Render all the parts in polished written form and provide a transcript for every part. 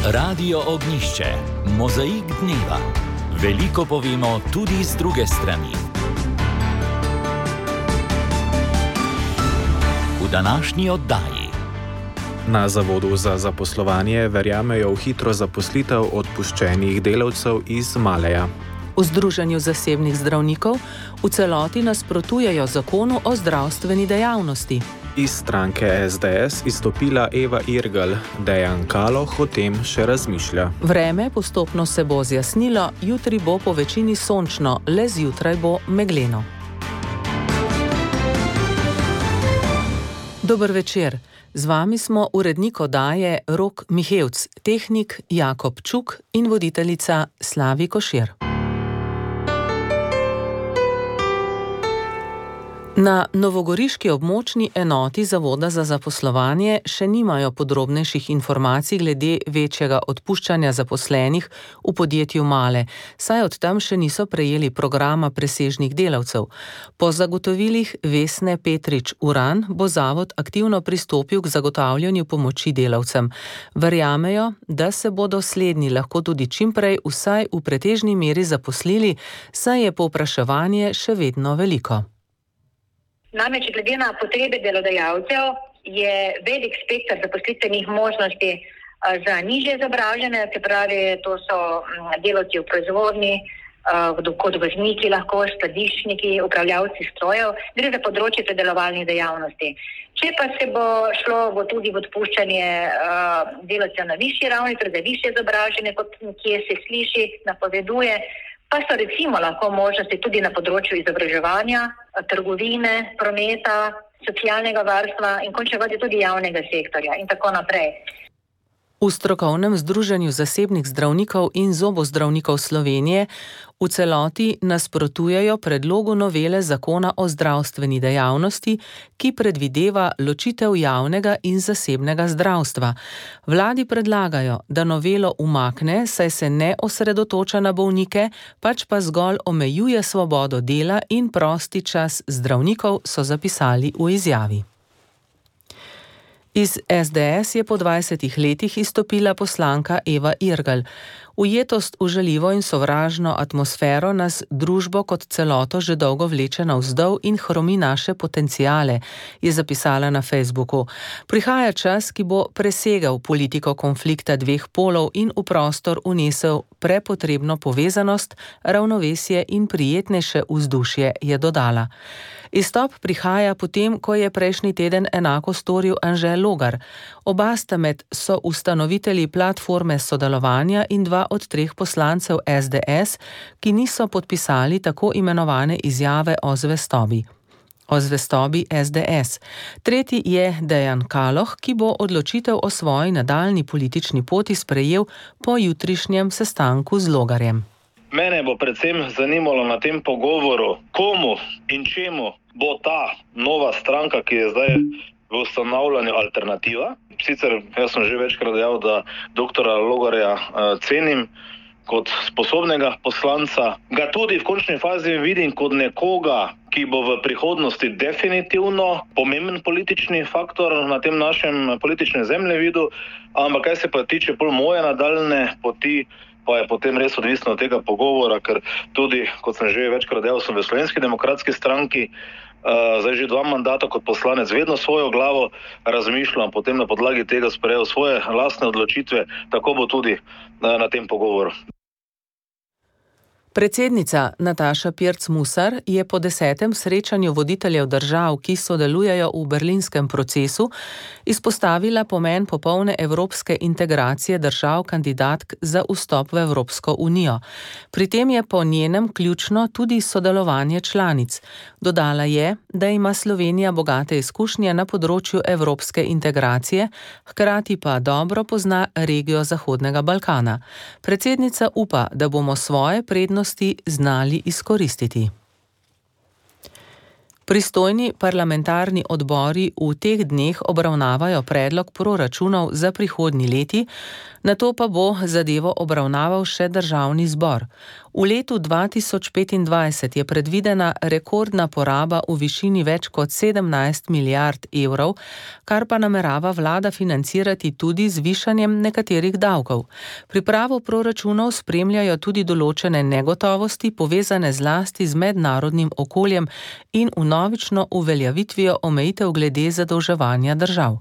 Radio Ognišče, mozaik dneva. Veliko povemo tudi z druge strani. V današnji oddaji. Na Zavodu za zaposlovanje verjamejo v hitro zaposlitev odpuščenih delavcev iz Maleja. V Združenju zasebnih zdravnikov v celoti nasprotujejo zakonu o zdravstveni dejavnosti. Iz stranke SDS izstopila Eva Irgl, Dejan Kaloh o tem še razmišlja. Vreme postopno se bo zjasnilo, jutri bo po večini sončno, le zjutraj bo megleno. Dober večer. Z vami smo urednik oddaje Rok Mihevc, tehnik Jakob Čuk in voditeljica Slavi Košir. Na novogoriški območni enoti Zavoda za zaposlovanje še nimajo podrobnejših informacij glede večjega odpuščanja zaposlenih v podjetju Male, saj od tam še niso prejeli programa presežnih delavcev. Po zagotovilih Vesne Petrič Uran bo zavod aktivno pristopil k zagotavljanju pomoči delavcem. Verjamejo, da se bodo slednji lahko tudi čimprej vsaj v pretežni meri zaposlili, saj je povpraševanje še vedno veliko. Namreč glede na potrebe delodajalcev je velik spekter zaposlitvenih možnosti za nižje izobražene, se pravi, to so delavci v proizvodnji, kot vozniki lahko, skladiščniki, upravljavci strojev, gre za področje predelovalnih dejavnosti. Če pa se bo šlo tudi v odpuščanje delavcev na višji ravni, torej za višje izobražene, kot kje se sliši, napoveduje, pa so recimo lahko možnosti tudi na področju izobraževanja, trgovine, prometa, socialnega varstva in končne faze tudi javnega sektorja in tako naprej. V strokovnem združenju zasebnih zdravnikov in zobozdravnikov Slovenije v celoti nasprotujejo predlogu novele zakona o zdravstveni dejavnosti, ki predvideva ločitev javnega in zasebnega zdravstva. Vladi predlagajo, da novelo umakne, saj se ne osredotoča na bolnike, pač pa zgolj omejuje svobodo dela in prosti čas zdravnikov, so zapisali v izjavi. Iz SDS je po 20 letih izstopila poslanka Eva Irgl. Ujetost v žaljivo in sovražno atmosfero nas družbo kot celoto že dolgo vleče navzdol in hromi naše potenciale, je zapisala na Facebooku. Prihaja čas, ki bo presegal politiko konflikta dveh polov in v prostor unesel prepotrebno povezanost, ravnovesje in prijetnejše vzdušje, je dodala. Izstop prihaja potem, ko je prejšnji teden enako storil Anže Logar. Oba sta med soustanovitelji platforme sodelovanja in dva od 3 poslancev SDS, ki niso podpisali tako imenovane izjave o zvestobi SDS. Tretji je Dejan Kaloh, ki bo odločitev o svoji nadaljnji politični poti sprejel po jutrišnjem sestanku z Logarjem. Mene bo predvsem zanimalo na tem pogovoru, komu in čemu bo ta nova stranka, ki je zdaj v ustanavljanju, alternativa. Sicer jaz sem že večkrat dejal, da doktora Logarja cenim kot sposobnega poslanca. Ga tudi v končni fazi vidim kot nekoga, ki bo v prihodnosti definitivno pomemben politični faktor na tem našem političnem zemljevidu, ampak kaj se pa tiče pol moje nadaljne poti, pa je potem res odvisno od tega pogovora, ker tudi, kot sem že večkrat dejal, sem v Slovenski demokratski stranki, zdaj že 2 mandata kot poslanec, vedno svojo glavo razmišljam, potem na podlagi tega sprejel svoje lastne odločitve, tako bo tudi na tem pogovoru. Predsednica Nataša Pirc Musar je po 10. srečanju voditeljev držav, ki sodelujejo v berlinskem procesu, izpostavila pomen popolne evropske integracije držav kandidatk za vstop v Evropsko unijo. Pri tem je po njenem ključno tudi sodelovanje članic. Dodala je, da ima Slovenija bogate izkušnje na področju evropske integracije, hkrati pa dobro pozna regijo Zahodnega Balkana. Predsednica upa, da bomo svoje prednosti znali izkoristiti. Pristojni parlamentarni odbori v teh dneh obravnavajo predlog proračunov za prihodnji leti, nato pa bo zadevo obravnaval še državni zbor. V letu 2025 je predvidena rekordna poraba v višini več kot 17 milijard evrov, kar pa namerava vlada financirati tudi z višanjem nekaterih davkov. Pripravo proračunov spremljajo tudi določene negotovosti, povezane zlasti z mednarodnim okoljem in vnovično uveljavitvijo omejitev glede zadolževanja držav.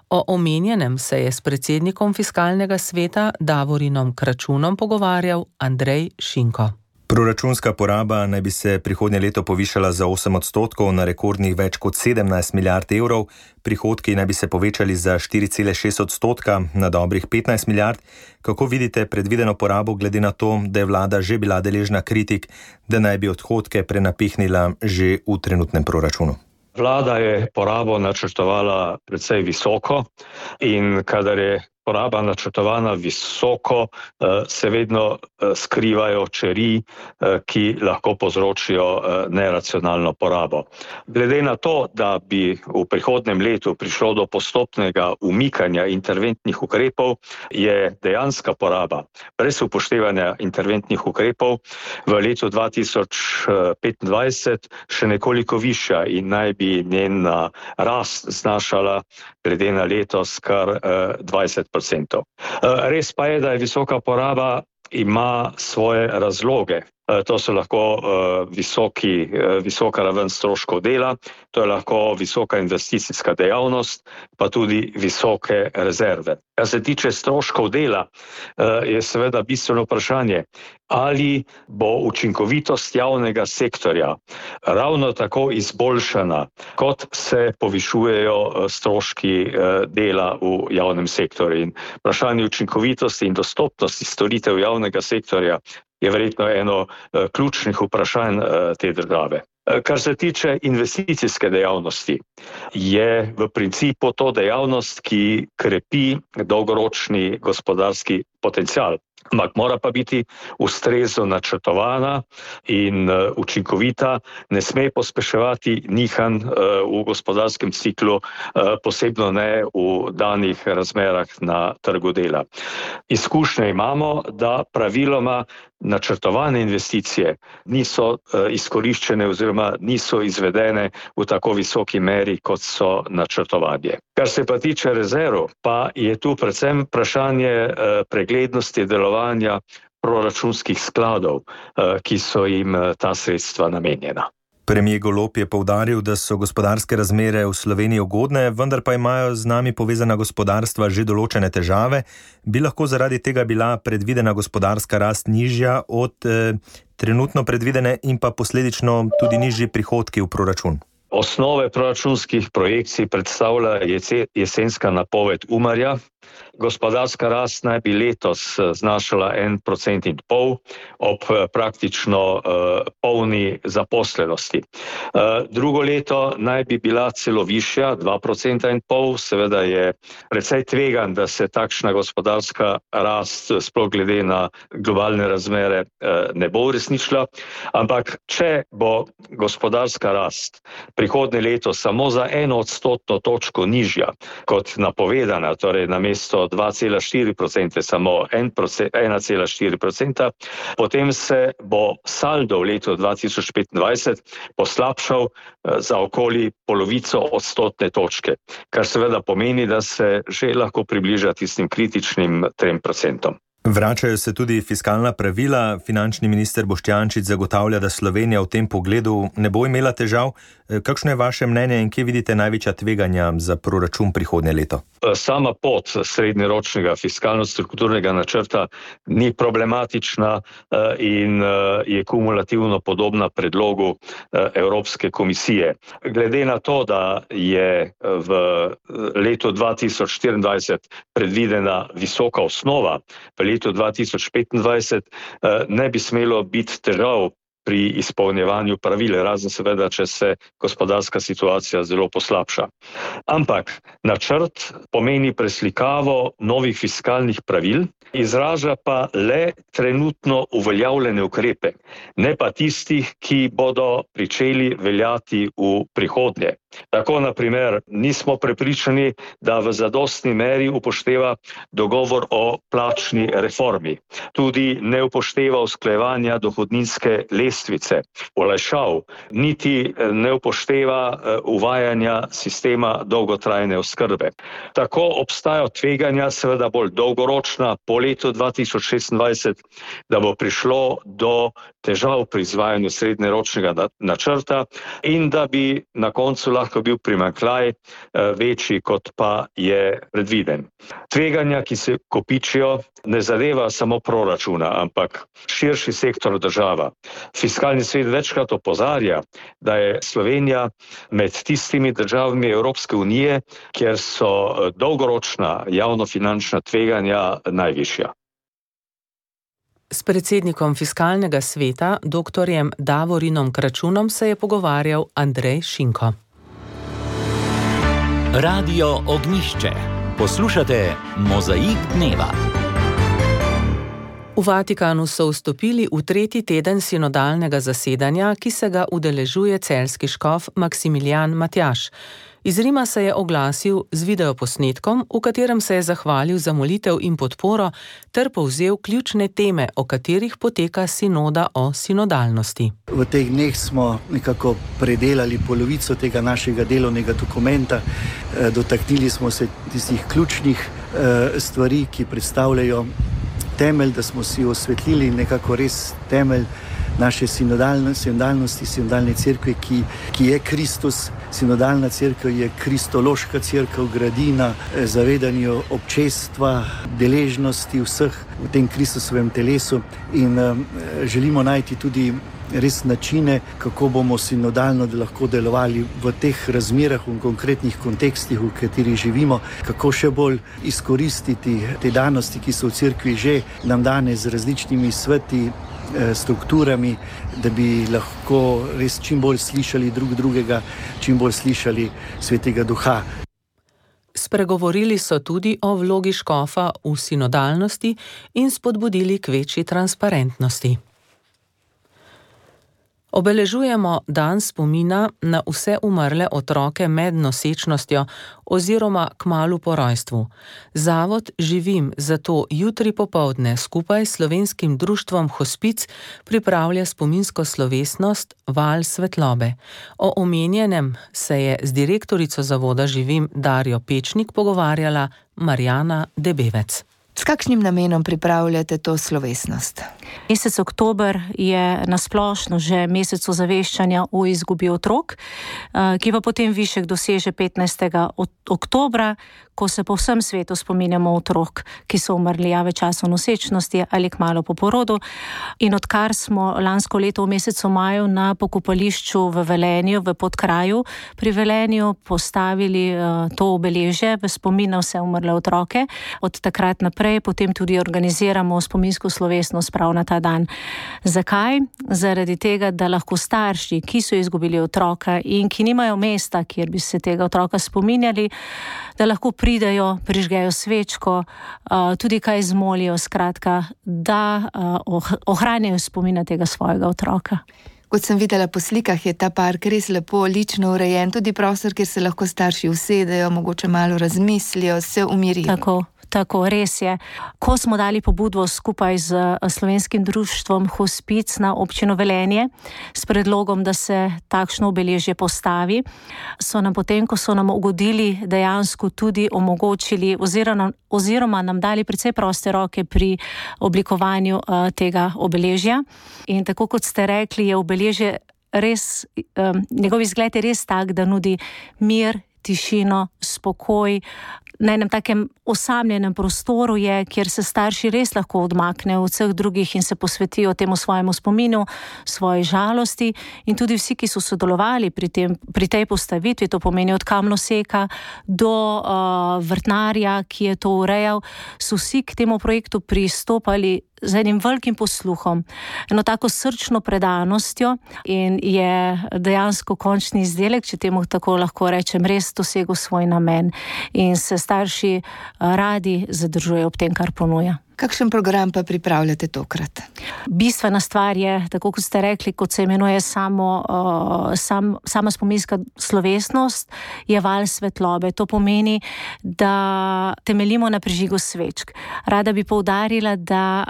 O omenjenem se je s predsednikom Fiskalnega sveta Davorinom Kračunom pogovarjal Andrej Šinko. Proračunska poraba naj bi se prihodnje leto povišala za 8% na rekordnih več kot 17 milijard evrov, prihodki naj bi se povečali za 4,6% na dobrih 15 milijard. Kako vidite predvideno porabo glede na to, da je vlada že bila deležna kritik, da naj bi odhodke prenapihnila že v trenutnem proračunu? Vlada je porabo načrtovala precej visoko in kadar je poraba načrtovana visoko, se vedno skrivajo čeri, ki lahko povzročijo neracionalno porabo. Glede na to, da bi v prihodnjem letu prišlo do postopnega umikanja interventnih ukrepov, je dejanska poraba brez upoštevanja interventnih ukrepov v letu 2025 še nekoliko višja in naj bi njena rast znašala glede na letos kar 20%. Res pa je, da je visoka poraba ima svoje razloge. To so lahko visoka raven stroškov dela, to je lahko visoka investicijska dejavnost, pa tudi visoke rezerve. Kar se tiče stroškov dela, je seveda bistveno vprašanje, ali bo učinkovitost javnega sektorja ravno tako izboljšana, kot se povišujejo stroški dela v javnem sektorju. In vprašanje učinkovitosti in dostopnosti storitev javnega sektorja je verjetno eno ključnih vprašanj te države. Kar se tiče investicijske dejavnosti, je v principu to dejavnost, ki krepi dolgoročni gospodarski potencial. Ampak mora pa biti ustrezno načrtovana in učinkovita, ne sme pospeševati nihanj v gospodarskem ciklu, posebno ne v danih razmerah na trgu dela. Izkušnje imamo, da praviloma načrtovane investicije niso izkoriščene oziroma niso izvedene v tako visoki meri, kot so načrtovanje. Kar se pa tiče rezerv, pa je tu predvsem vprašanje preglednosti delovanja proračunskih skladov, ki so jim ta sredstva namenjena. Premier Golob je poudaril, da so gospodarske razmere v Sloveniji ugodne, vendar pa imajo z nami povezana gospodarstva že določene težave. Bi lahko zaradi tega bila predvidena gospodarska rast nižja od trenutno predvidene in pa posledično tudi nižji prihodki v proračun? Osnove proračunskih projekcij predstavlja jesenska napoved Umarja. Gospodarska rast naj bi letos znašala 1,5% ob praktično polni zaposlenosti. Drugo leto naj bi bila celo višja, 2,5%. Seveda je precej tvegan, da se takšna gospodarska rast, sploh glede na globalne razmere, ne bo uresničila. Ampak če bo gospodarska rast prihodnje leto samo za 1% točko nižja kot napovedana, torej namesto 2,4%, samo 1,4%, potem se bo saldo v letu 2025 poslabšal za okoli polovico odstotne točke, kar seveda pomeni, da se že lahko približa tistim kritičnim 3%. Vračajo se tudi fiskalna pravila. Finančni minister Boštjančič zagotavlja, da Slovenija v tem pogledu ne bo imela težav. Kakšno je vaše mnenje in kje vidite največja tveganja za proračun prihodnje leto? Sama pot srednjeročnega fiskalno-strukturnega načrta ni problematična in je kumulativno podobna predlogu Evropske komisije. Glede na to, da je v letu 2024 predvidena visoka osnova, v letu 2025 ne bi smelo biti težav pri izpolnjevanju pravil, razen seveda, če se gospodarska situacija zelo poslabša. Ampak načrt pomeni preslikavo novih fiskalnih pravil izraža pa le trenutno uveljavljene ukrepe, ne pa tistih, ki bodo pričeli veljati v prihodnje. Tako, na primer, nismo prepričani, da v zadostni meri upošteva dogovor o plačni reformi. Tudi ne upošteva usklajevanja dohodninske lestvice, olajšav, niti ne upošteva uvajanja sistema dolgotrajne oskrbe. Tako obstajajo tveganja, seveda bolj dolgoročna, po letu 2026, da bo prišlo do težav pri izvajanju srednjeročnega načrta in da bi na koncu lahko bil primanjkljaj večji, kot pa je predviden. Tveganja, ki se kopičijo, ne zadeva samo proračuna, ampak širši sektor država. Fiskalni svet večkrat opozarja, da je Slovenija med tistimi državami Evropske unije, kjer so dolgoročna javnofinančna tveganja najvišja. S predsednikom Fiskalnega sveta, dr. Davorinom Kračunom, se je pogovarjal Andrej Šinko. Radio Ognjišče. Poslušate Mozaik dneva. V Vatikanu so vstopili v 3. teden sinodalnega zasedanja, ki se ga udeležuje celjski škof Maksimilijan Matjaž. Iz Rima se je oglasil z videoposnetkom, v katerem se je zahvalil za molitev in podporo ter povzel ključne teme, o katerih poteka sinoda o sinodalnosti. V teh dneh smo nekako predelali polovico tega našega delovnega dokumenta. Dotaknili smo se tistih ključnih stvari, ki predstavljajo temelj, da smo si osvetlili nekako res temelj naše sinodalnosti, sinodalne cerkve, ki je Kristus. Sinodalna cerkev je kristološka cerkev, gradi na zavedanju občestva, deležnosti vseh v tem Kristusovem telesu in želimo najti tudi res načine, kako bomo sinodalno lahko delovali v teh razmerah, v konkretnih kontekstih, v katerih živimo, kako še bolj izkoristiti te danosti, ki so v cerkvi že nam dane z različnimi sveti, strukturami, da bi lahko res čim bolj slišali drug drugega, čim bolj slišali Svetega Duha. Spregovorili so tudi o vlogi škofa v sinodalnosti in spodbudili k večji transparentnosti. Obeležujemo dan spomina na vse umrle otroke med nosečnostjo oziroma kmalu po rojstvu. Zavod Živim zato jutri popoldne skupaj s Slovenskim društvom Hospic pripravlja spominsko slovesnost Val svetlobe. O omenjenem se je z direktorico zavoda Živim Darjo Pečnik pogovarjala Marjana Debevec. S kakšnim namenom pripravljate to slovesnost? Mesec oktober je nasplošno že mesec ozaveščanja o izgubi otrok, ki pa potem višek doseže 15. oktobra, ko se po vsem svetu spominjamo otrok, ki so umrli v času nosečnosti ali kmalu po porodu. In odkar smo lansko leto v mesecu maju na pokopališču v Velenju, v Podkraju, pri Velenju postavili to obeležje v spomin na vse umrle otroke, od takrat naprej potem tudi organiziramo spominsko slovesnost prav na ta dan. Zakaj? Zaradi tega, da lahko starši, ki so izgubili otroka in ki nimajo mesta, kjer bi se tega otroka spominjali, da lahko pridejo, prižgejo svečko, tudi kaj zmolijo, skratka, da ohranjajo spomina tega svojega otroka. Kot sem videla po slikah, je ta park res lepo, lično urejen, tudi prostor, kjer se lahko starši usedejo, mogoče malo razmislijo, se umirijo. Tako, res je. Ko smo dali pobudo skupaj z Slovenskim društvom Hospic na občino Velenje s predlogom, da se takšno obeležje postavi, so nam potem, ko so nam ugodili, dejansko tudi omogočili oziroma nam dali precej proste roke pri oblikovanju tega obeležja. In tako kot ste rekli, je obeležje res, njegov izgled je res tak, da nudi mir, tišino, spokoj. Na enem takem osamljenem prostoru je, kjer se starši res lahko odmaknejo od vseh drugih in se posvetijo temu svojemu spominu, svoji žalosti, in tudi vsi, ki so sodelovali pri tej postavitvi, to pomeni od kamnoseka do vrtnarja, ki je to urejal, so vsi k temu projektu pristopali z enim velikim posluhom, eno tako srčno predanostjo, in je dejansko končni izdelek, če temu tako lahko rečem, res dosegel svoj namen in se starši radi zadržujejo ob tem, kar ponuja. Kakšen program pa pripravljate tokrat? Bistvena stvar je, tako kot ste rekli, kot se imenuje sama spominska slovesnost, je val svetlobe. To pomeni, da temeljimo na prižigu svečk. Rada bi poudarila, da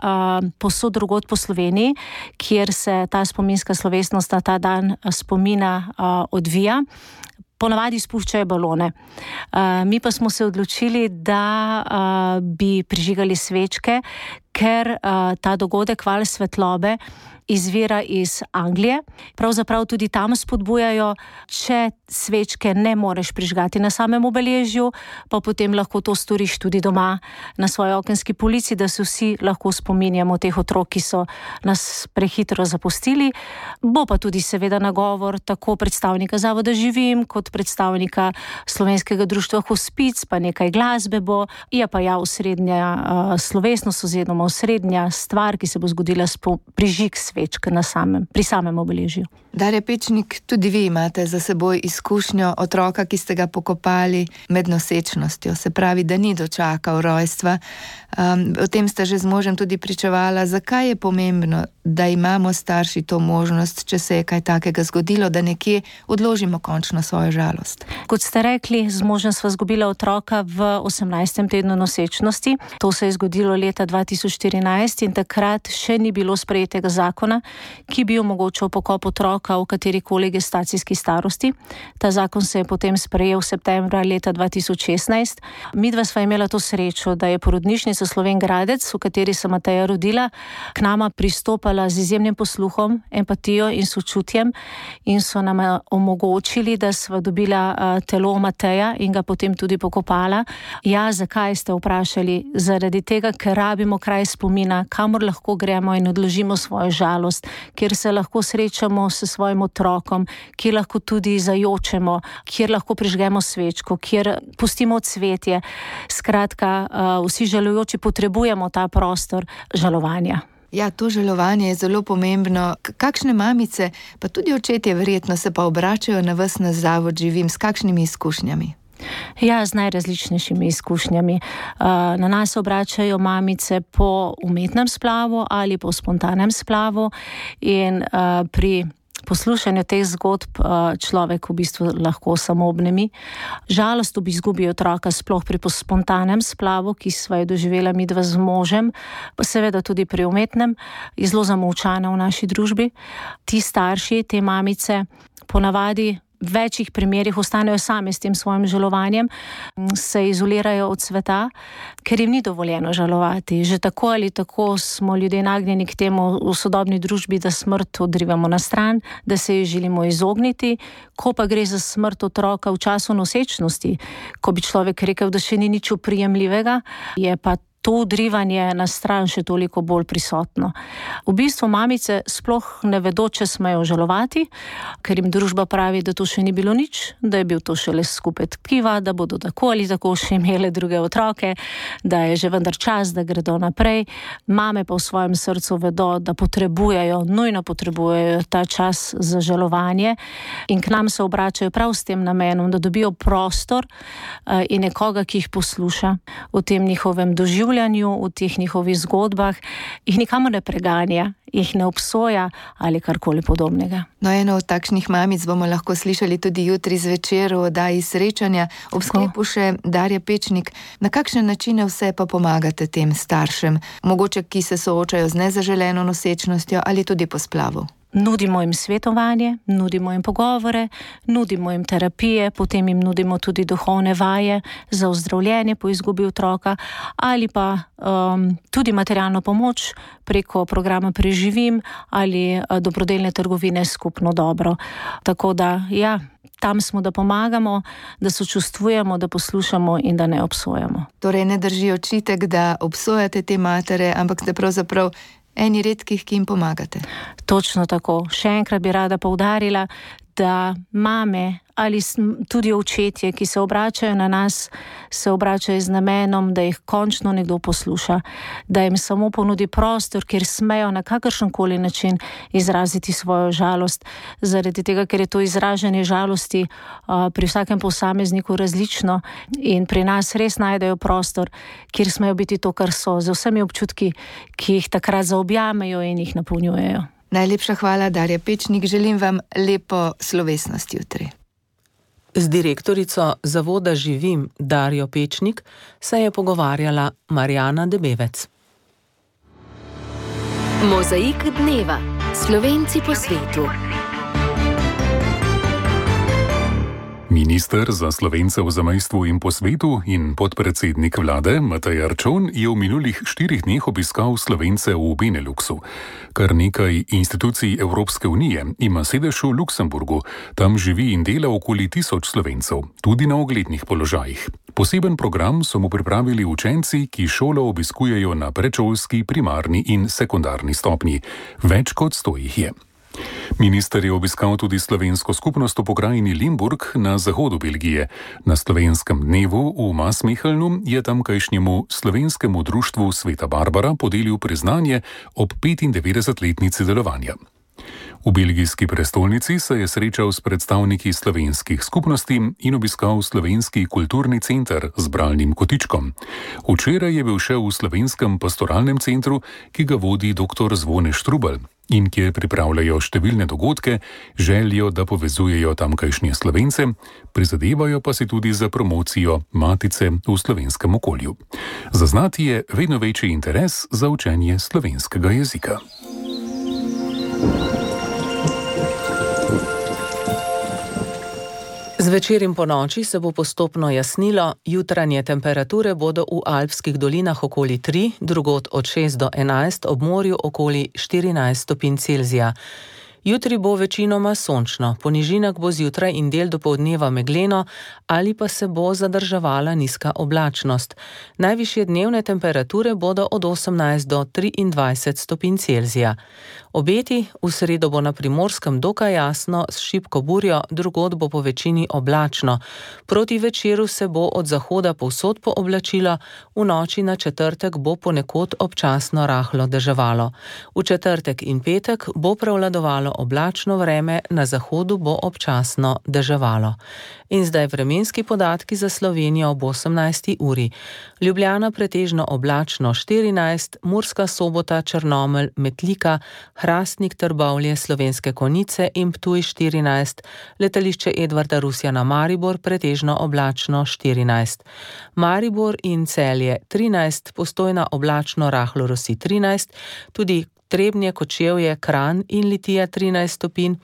povsod drugod po Sloveniji, kjer se ta spominska slovesnost na ta dan spomina odvija, ponavadi spuščajo balone. Mi pa smo se odločili, da bi prižigali svečke, ker ta dogodek val svetlobe izvira iz Anglije. Pravzaprav tudi tam spodbujajo, če svečke ne moreš prižgati na samem obeležju, pa potem lahko to storiš tudi doma na svoji okenski polici, da se vsi lahko spominjamo teh otrok, ki so nas prehitro zapustili. Bo pa tudi seveda nagovor tako predstavnika Zavoda Živim, kot predstavnika Slovenskega društva Hospic, pa nekaj glasbe bo. Je pa osrednja slovesnost oziroma osrednja stvar, ki se bo zgodila prižig svečk pri samem obeležju. Darja Pečnik, tudi vi imate za seboj izkušnjo otroka, ki ste ga pokopali med nosečnostjo, se pravi, da ni dočakal rojstva. O tem ste že z možem tudi pričevala. Zakaj je pomembno, da imamo starši to možnost, če se je kaj takega zgodilo, da nekje odložimo končno svojo žalost? Kot ste rekli, z možem sva izgubila otroka v 18. tednu nosečnosti. To se je zgodilo leta 2014 in takrat še ni bilo sprejetega zakona, ki bi omogočal pokop otroka v katerikoli gestacijski starosti. Ta zakon se je potem sprejel septembra leta 2016. Midva sva imela to srečo, da je porodnišnica Slovenj Gradec, v kateri se Mateja rodila, k nama pristopala z izjemnim posluhom, empatijo in sočutjem in so nam omogočili, da sva dobila telo Mateja in ga potem tudi pokopala. Ja, zakaj ste vprašali? Zaradi tega, ker rabimo kraj spomina, kamor lahko gremo in odložimo svojo žalost, kjer se lahko srečamo s svojim otrokom, kjer lahko tudi zajočemo, kjer lahko prižgemo svečko, kjer pustimo cvetje. Skratka, vsi žalujoči potrebujemo ta prostor žalovanja. Ja, to žalovanje je zelo pomembno. Kakšne mamice, pa tudi očetje verjetno, se pa obračajo na vas na Zavod Živim, s kakšnimi izkušnjami? Ja, z najrazličnejšimi izkušnjami. Na nas obračajo mamice po umetnem splavu ali po spontanem splavu in pri poslušanju teh zgodb človek v bistvu lahko samo obnemi. Žalost ob izgubi otroka, sploh pri spontanem splavu, ki sva jo doživela midva z možem, pa seveda tudi pri umetnem, je zelo zamolčana v naši družbi. Ti starši, te mamice, ponavadi v večjih primerih ostanejo sami s tem svojim žalovanjem, se izolirajo od sveta, ker jim ni dovoljeno žalovati. Že tako ali tako smo ljudje nagnjeni k temu v sodobni družbi, da smrt odrivamo na stran, da se ji želimo izogniti. Ko pa gre za smrt otroka v času nosečnosti, ko bi človek rekel, da še ni nič oprijemljivega, je pa to odrivanje na stran še toliko bolj prisotno. V bistvu mamice sploh ne vedo, če smejo žalovati, ker jim družba pravi, da to še ni bilo nič, da je bil to šele skupek tkiva, da bodo tako ali tako še imele druge otroke, da je že vendar čas, da gredo naprej. Mame pa v svojem srcu vedo, da nujno potrebujejo ta čas za žalovanje in k nam se obračajo prav s tem namenom, da dobijo prostor in nekoga, ki jih posluša v tem njihovem doživljanju, v teh njihovih zgodbah, jih nikamor ne preganja, jih ne obsoja ali karkoli podobnega. No, eno od takšnih mamic bomo lahko slišali tudi jutri zvečer v oddaji Srečanja. Ob sklepu še Darja Pečnik, na kakšne načine vse pa pomagate tem staršem, mogoče ki se soočajo z nezaželeno nosečnostjo ali tudi po splavu? Nudimo jim svetovanje, nudimo jim pogovore, nudimo jim terapije, potem jim nudimo tudi duhovne vaje za ozdravljenje po izgubi otroka ali pa tudi materialno pomoč preko programa Preživim ali dobrodelne trgovine Skupno dobro. Tako da, ja, tam smo, da pomagamo, da sočustvujemo, da poslušamo in da ne obsojamo. Torej ne drži očitek, da obsojate te matere, ampak ste pravzaprav eni redkih, ki jim pomagate. Točno tako. Še enkrat bi rada poudarila, da mame ali tudi očetje, ki se obračajo na nas, se obračajo z namenom, da jih končno nekdo posluša, da jim samo ponudi prostor, kjer smejo na kakršenkoli način izraziti svojo žalost, zaradi tega, ker je to izražanje žalosti pri vsakem posamezniku različno in pri nas res najdejo prostor, kjer smejo biti to, kar so, z vsemi občutki, ki jih takrat zaobjamejo in jih napolnjujejo. Najlepša hvala, Darja Pečnik. Želim vam lepo slovesnost jutri. Z direktorico Zavoda Živim Darjo Pečnik se je pogovarjala Marjana Debevec. Mozaik dneva. Slovenci po svetu. Minister za Slovence v zamejstvu in po svetu in podpredsednik vlade Matej Arčon je v minulih 4 dneh obiskal Slovence v Beneluxu. Kar nekaj institucij Evropske unije ima sedež v Luksemburgu, tam živi in dela okoli 1000 Slovencev, tudi na uglednih položajih. Poseben program so mu pripravili učenci, ki šolo obiskujejo na predšolski, primarni in sekundarni stopnji. Več kot 100 jih je. Minister je obiskal tudi slovensko skupnost v pokrajini Limburg na zahodu Belgije. Na slovenskem dnevu v Maasmechelnu je tamkajšnjemu slovenskemu društvu Sveta Barbara podelil priznanje ob 95-letnici delovanja. V belgijski prestolnici se je srečal s predstavniki slovenskih skupnosti in obiskal slovenski kulturni center z bralnim kotičkom. Včeraj je bil še v slovenskem pastoralnem centru, ki ga vodi dr. Zvone Štrubelj in kjer pripravljajo številne dogodke, želijo, da povezujejo tamkajšnje Slovence, prizadevajo pa si tudi za promocijo matice v slovenskem okolju. Zaznati je vedno večji interes za učenje slovenskega jezika. Zvečer in ponoči se bo postopno jasnilo, jutranje temperature bodo v alpskih dolinah okoli 3, drugod od 6 do 11, ob morju okoli 14 stopinj Celzija. Jutri bo večinoma sončno, po nižinah bo zjutraj in del dopoldneva megleno ali pa se bo zadrževala nizka oblačnost. Najvišje dnevne temperature bodo od 18 do 23 stopinj Celzija. Obeti, v sredo bo na Primorskem dokaj jasno s šibko burjo, drugod bo po večini oblačno. Proti večeru se bo od zahoda povsod pooblačilo, v noči na četrtek bo ponekod občasno rahlo deževalo. V četrtek in petek bo prevladovalo oblačno vreme, na zahodu bo občasno deževalo. In zdaj vremenski podatki za Slovenijo ob 18. uri. Ljubljana pretežno oblačno 14, Murska Sobota, Črnomelj, Metlika, Hrastnik, Trbovlje, Slovenske Konjice in Ptuj 14, letališče Edvarda Rusjana Maribor pretežno oblačno 14. Maribor in Celje 13, Postojna oblačno rahlo rosi 13, tudi Trebnje, Kočevje, Kranj in Litija 13 stopinj,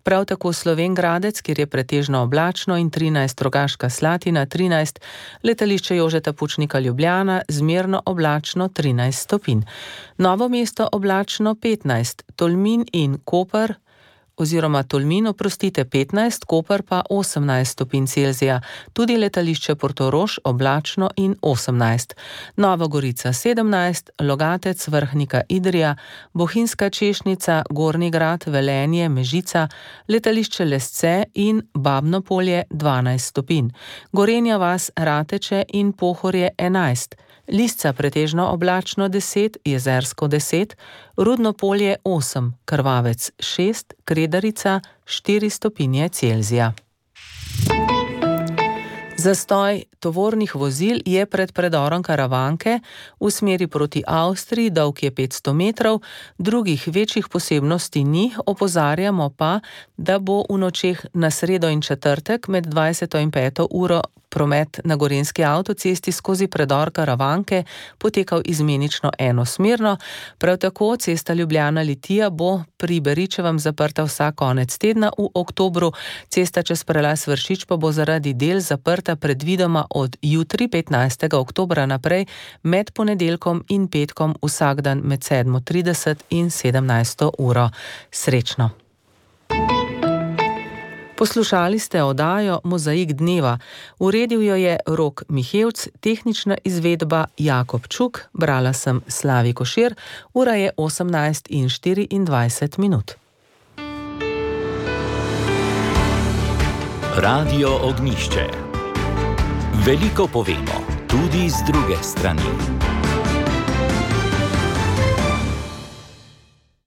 prav tako Slovenj Gradec, kjer je pretežno oblačno in 13, Rogaška Slatina 13, letališče Jožeta Pučnika Ljubljana zmerno oblačno 13 stopinj. Novo mesto oblačno 15, Tolmin in Koper oziroma Tolmin, 15, Koper pa 18 stopinj Celzija, tudi letališče Portorož oblačno in 18. Nova Gorica 17, Logatec, Vrhnika, Idrija, Bohinjska Češnica, Gornji Grad, Velenje, Mežica, letališče Lesce in Babno Polje 12 stopinj. Gorenja vas, Rateče in Pohorje 11. Lisca pretežno oblačno 10, Jezersko 10, Rudno Polje 8, Krvavec 6, Kredarica 4 stopinje Celzija. Zastoj tovornih vozil je pred predorom Karavanke v smeri proti Avstriji, dolg je 500 metrov, drugih večjih posebnosti ni, opozarjamo pa, da bo v nočeh na sredo in četrtek med 20. in 5. uro promet na Gorenjski avtocesti skozi predor Karavanke potekal izmenično enosmerno, prav tako cesta Ljubljana-Litija bo pri Beričevem zaprta vsak konec tedna v oktobru, cesta čez prelaz Vršič pa bo zaradi del zaprta predvidoma od jutri 15. oktobra naprej med ponedeljkom in petkom vsak dan med 7:30 in 17. uro. Srečno! Poslušali ste oddajo Mozaik dneva. Uredil jo je Rok Mihevc, tehnična izvedba Jakob Čuk, brala sem Slavi Košir, ura je 18:24. Radio Ognišče. Veliko povemo tudi z druge strani.